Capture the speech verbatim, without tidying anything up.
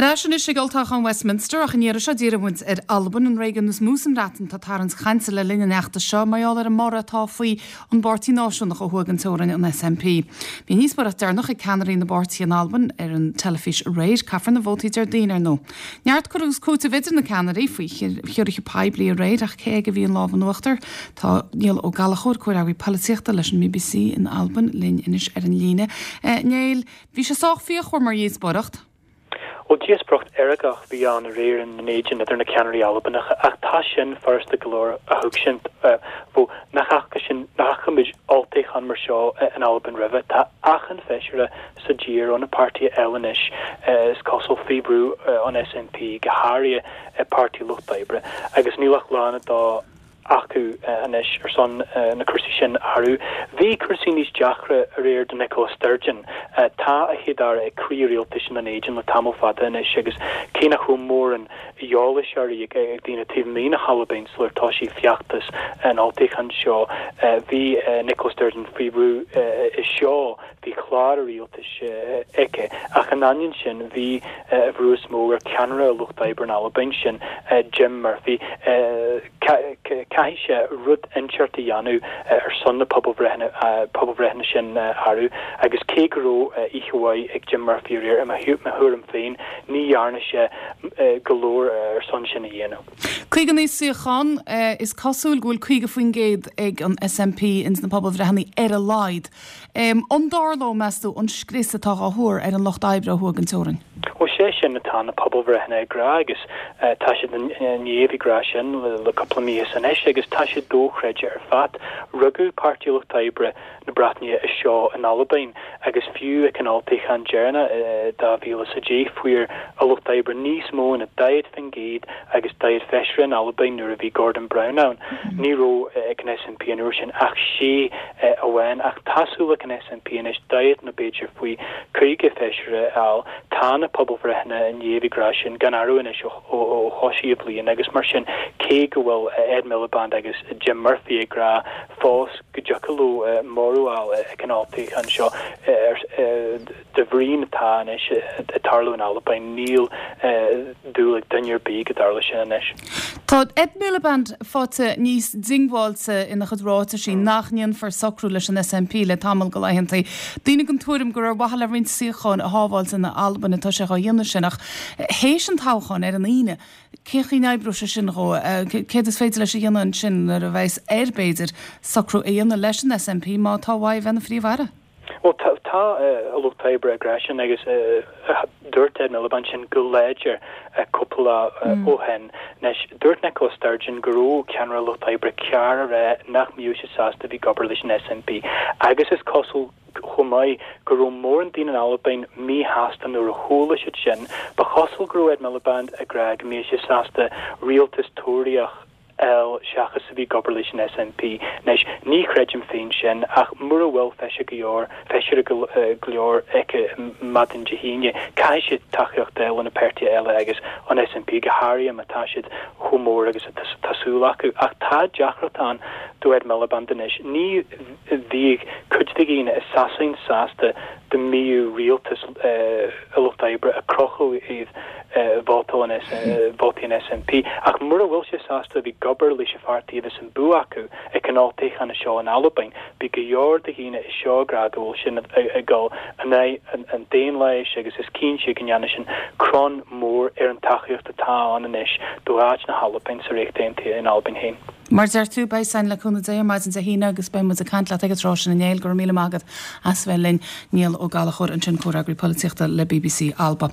Ar ais anois ag olltoghchán Westminster ach an iarraidh seo díreoidh muid ar Albain an réigiún is mó sa mBreatain atá ag tarraingt cainte le linn an fheachtais seo mar gheall ar an mborradh atá faoi an bPáirtí Náisiúnach ó thuaidh den teorainn an SNP. Bhí díospóireacht deireanach ag ceannairí na bpáirtithe in Albain ar an teilifís aréir caithfear na vótaí Déardaoin ar ndóigh. Neart cur agus cúiteamh idir na ceannairí faoi chiorruithe poiblí aréir ach cé aige a bhí an lámh in uachtar tá Niall Ó Gallchóir comhfhreagraí polaitíochta leis an BBC in Albain linn anois ar an líne. Eh, Niall, bhí sé sách fíochmhar mar dhíospóireacht. Ó díospóireacht fheargach a bhí ann aréir in Éidin idir na ceannairí Albanacha ach tá sin furasta go leor a thuigsint bhó nach fhaca sin nach fhaca muid olltoghchán mar seo in Albain roimhe tá achan feisire sa tír ó na páirtithe eile anois is cosúil faoi bhrú an SNP go háirithe Páirtí Lucht Oibre agus níl ach lá nó dhó acu anois ar son na cúrsaí sin a athrú. Bhí cúrsaí níos deacra aréir do Nicola Sturgeon. Tá a chéad-aire ag croí rialtais na nÉideann le tamall fada anois agus cé nach raibh mórán eolais uirthi ag ag daoine taobh amuigh na hAlban sular thosaigh feachtas an olltoghcháin seo. Bhí Nicola Sturgeon faoi bhrú i seo bhí clár a rialtais aici ach in ainneoin sin bhí brú is mó ar ceannaire Lucht Oibre in Albain sin Jim Murphy caithfidh sé rud inteacht a dhéanamh ar son na pobalbhreitheanna sin athrú agus cé go raibh oíche mhaith ag Jim Murphy aréir i mo thuairim féin ní dhearna sé go leor ar son sin a dhéanamh. Caoga naoi suíochán is cosúil go bhfuil caoga faoin gcéad ag an SNP ins na pobalbhreitheanna ar a laghad. An dtarlóidh meas tú an scrios atá á thuar ar an lucht oibre ó thuaidh den teorainn. Ó sé sin atá na pobalbhreitheanna ag rá agus tá siad ní ag rá sin le cúpla mí anois agus tá sé dochreidte ar fad. Rugadh Páirtí Lucht Oibre na Breataine anseo in Albain agus fiú ag an olltoghchán deireanach dhá mhíle sa dé fuair a lucht oibre níos mó ná daichead faoin gcéad agus daichead feisire in Albain nuair a bhí Gordon Brown ann. Ní raibh ag an SNP an uair sin ach sé amháin ach tá súil ag an SNP anois daichead nó b'fhéidir faoi caoga feisire a fháil tá na pobalbhreitheanna inniu ag rá sin gan athrú anois ó thosaigh an bhliain agus mar sin cé go bhfuil Ed Miliband agus Jim Murphy ag rá fós go dtiocfadh leo móramh a fháil ag an olltoghchán seo de bhrí atá anois ag tarlú in Albain níl dúil ag duine ar bith go dtarlóidh sin anois. Tá Ed Miliband faighte níos diongbháilte ina chuid ráitisí nach ndéanfar socrú leis an SNP le tamall de laethanta. Daoine den tuairim gur ar mhaithe le roinnt suíochán a shábháilt in Albain atá sé á dhéanamh sin ach théis an toghcháin ar an Aoine. Cén chaoi a n-oibreoidh sé sin dhó céard is féidir leis a dhéanamh ansin nuair a bheas air b'fhéidir socrú a dhéanamh leis an SNP má tá uaidh bheith ina phríomh-aire. Well tá a lucht oibre ag rá sin agus dúirt Ed Miliband sin go láidir cúpla ó shin. Anois dúirt Nicola Sturgeon go raibh ceannaire lucht oibre ceart a rá nach mbeadh sé sásta bheith ag obair leis an SNP agus is cosúil chomh maith go raibh mórán daoine in Albain míshásta nuair a chuala siad sin, ba chosúil go raibh Ed Miliband ag rá go mbeadh sé sásta rialtas Tóraíoch eile seachas a bheith ag obair leis an SNP. Anois ní chreidim féin sin ach mura bhfuil feisire go leor feisire go leor aici maidin Dé hAoine, caithfidh siad tacaíocht eile na páirtithe eile agus an SNP go háirithe má tá siad chomh mór agus tá súil acu ach tá deacracht ann do Ed Miliband anois. Ní bhíodh cuid de dhaoine i Sasain sásta dá mbeadh rialtas a lucht oibre ag crochadh iad vóta an vótaí an SNP ach mura bhfuil sé sásta bheith ag obair leis an pháirtí a bheas an bua acu ag an olltoghchán seo in Albain, Bhí go leor de dhaoine i seo ag rá go bhfuil sin ag dul in aghaidh an daonlathais agus is cinnte go ndéanfaidh sin crann mór ar an tacaíocht atá ann anois do áit na hAlban sa Ríocht Aontaithe in Albain féin. Mar deir tú beidh sin le cúnamh Dé ar maidin Dé hAoine agus beidh muid ag caint leat ag an tráth sin a Néill go raibh míle maith agat as bheith linn Niall Ó Gallchóir ansin comhfhreagraí polaitíochta le BBC Alba.